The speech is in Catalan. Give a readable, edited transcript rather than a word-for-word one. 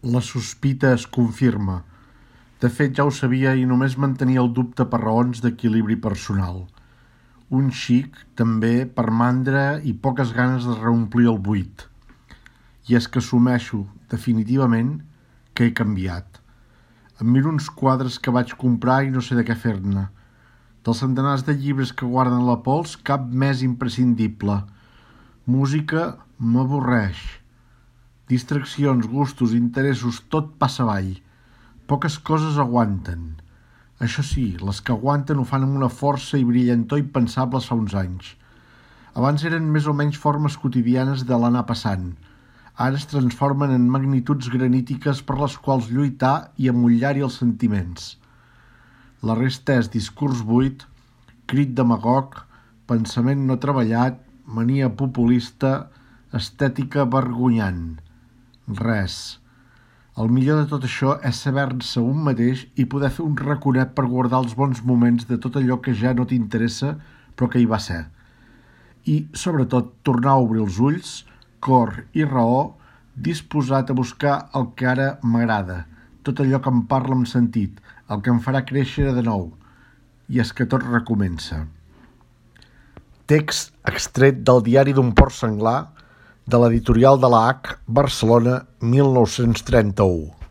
La sospita es confirma. De fet, ja ho sabia i només mantenia el dubte per raons d'equilibri personal. Un xic, també, per mandra i poques ganes de reomplir el buit. I és que assumeixo, definitivament, que he canviat. Em miro uns quadres que vaig comprar i no sé de què fer-ne. Dels centenars de llibres que guarden la pols, cap més imprescindible. Música m'avorreix. Distraccions, gustos, interessos, tot passa avall. Poques coses aguanten. Això sí, les que aguanten ho fan amb una força i brillantor impensables fa uns anys. Abans eren més o menys formes quotidianes de l'anar passant. Ara es transformen en magnituds granítiques per les quals lluitar i amollar-hi els sentiments. La resta és discurs buit, crit demagog, pensament no treballat, mania populista, estètica vergonyant. Res. El millor de tot això és saber-se un mateix i poder fer un raconet per guardar els bons moments de tot allò que ja no t'interessa però que hi va ser. I, sobretot, tornar a obrir els ulls, cor i raó, disposat a buscar el que ara m'agrada, tot allò que em parla amb sentit, el que em farà créixer de nou. I és que tot recomença. Text extret del Diari d'un Port Senglar, de l'editorial de la H, Barcelona, 1931.